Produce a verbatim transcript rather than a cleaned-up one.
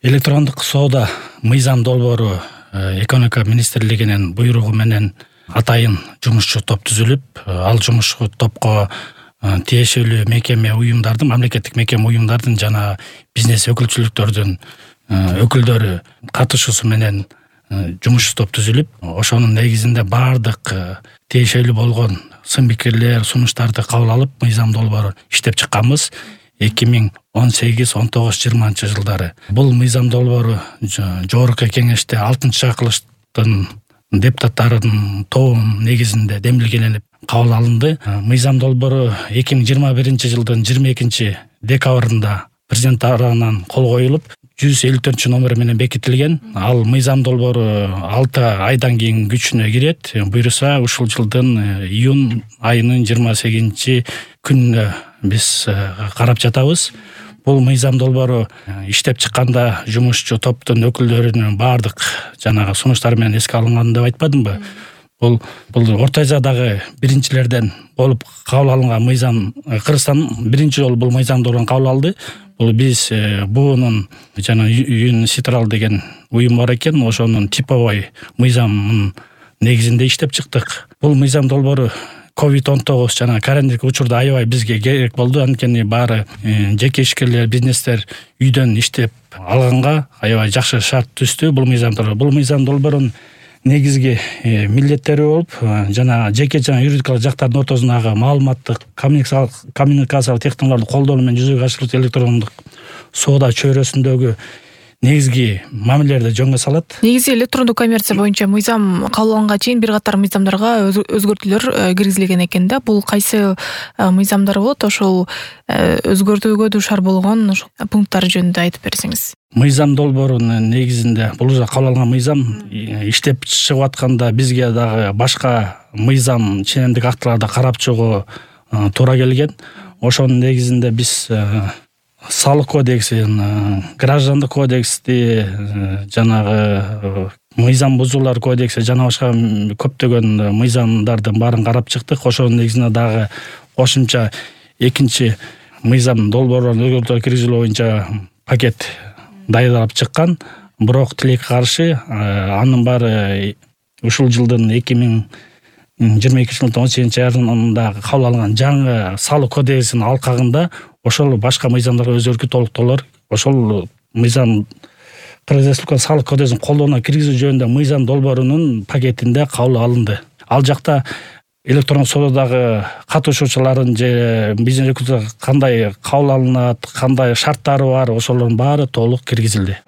Электрондук соода мыйзам долбоору экономика министрлигинин буйругу менен атайын жумушчу топ түзүлүп, ал жумушчу топко тиешелүү мекеме уюмдардын, мамлекеттик мекеме уюмдардын жана бизнес өкүлчүлүктөрдүн өкүлдөрү катышуусу менен жумушчу топ түзүлүп, ошонун негизинде баардык тиешелүү болгон сын пикирлер, сунуштарды кабыл алып, мыйзам долбоору иштеп чыкканбыз эки миң он сегиз он тогуз жыйырманчы жылдары. Бул мыйзам долбоору жогорку кеңеште алтынчы чакырылыштын депутаттарынын тобунун негизинде демилгеленип кабыл алынды. Мыйзам долбоору эки миң жыйырма биринчи жылдын жыйырма экинчи декабрында президент тарабынан кол коюлуп, жүз элүү төртүнчү номери менен бекитилген. Ал мыйзам долбоору алты айдан кийин күчүнө кирет. Буйруса ушул жылдын июнь айынын жыйырма сегизинчи күнүнө биз карап жатабыз. Бул мыйзам долбоору иштеп чыкканда жумушчу топтун өкүлдөрүнүн баардык жанагы сунуштары менен эске алынган деп айтпадымбы? Бул бул Орто Азиядагы биринчилерден болуп кабыл алынган мыйзам. Кыргызстан биринчи жолу бул мыйзам долбоорун кабыл алды. Бул биз буунун жана ЮН-Ситрал деген уюм бар экен, ошонун типовой мыйзамынын негизинде иштеп чыктык. Бул мыйзам долбоору ковид он тогуз жана карантиндик учурда аябай бизге керек болду. Анткени баары жеке ишкерлер, бизнестер үйдөн иштеп алганга аябай жакшы шарт түздү. Бул мыйзам долбоору, бул мыйзам долбоорунун негизги милдеттери болуп, жана жеке жана юридикалык жактардын ортосундагы маалыматтык коммуникациялык технологияларды колдонуу менен жүзөгө ашырылуучу электрондук соода чөйрөсүндөгү негизги мамилелерди жөнгө салат. Негизи электрондук коммерция боюнча мыйзам кабыл алынганга чейин бир катар мыйзамдарга өзгөртүүлөр киргизилген экен да. Бул кайсы мыйзамдар болот? Ошол өзгөртүүгө дуушар болгон пункттар жөнүндө айтып берсеңиз. Мыйзам долбоорунун негизинде бул уже кабыл алынган мыйзам иштеп чыгып атканда бизге дагы башка мыйзам ченемдик актыларды карап чыгуу туура келген. Ошонун негизинде биз салык кодексин, граждандык кодексти, жанагы мыйзам бузуулар кодекси жана башка көптөгөн мыйзамдардын баарын карап чыктык. Ошонун негизинде дагы кошумча экинчи мыйзам долбоорун өзгөртүүлөр киргизүү боюнча пакет даярдалып чыккан. Бирок тилекке каршы анын баары ушул жылдын эки миң жыйырма экинчи жылдын он сегизинчи айында кабыл алынган жаңы салык кодексинин алкагында ошол башка мыйзамдарга өзгөртүү толуктоолор, ошол мыйзам Кыргыз Республикасынын салык кодексин колдонууга киргизүү жөнүндө мыйзам долбоорунун пакетинде кабыл алынды. Ал жакта электрондук соодадагы катышуучулардын же бизнес өкүлдөрү кандай кабыл алынат, кандай шарттары бар, ошолордун баары толук киргизилди.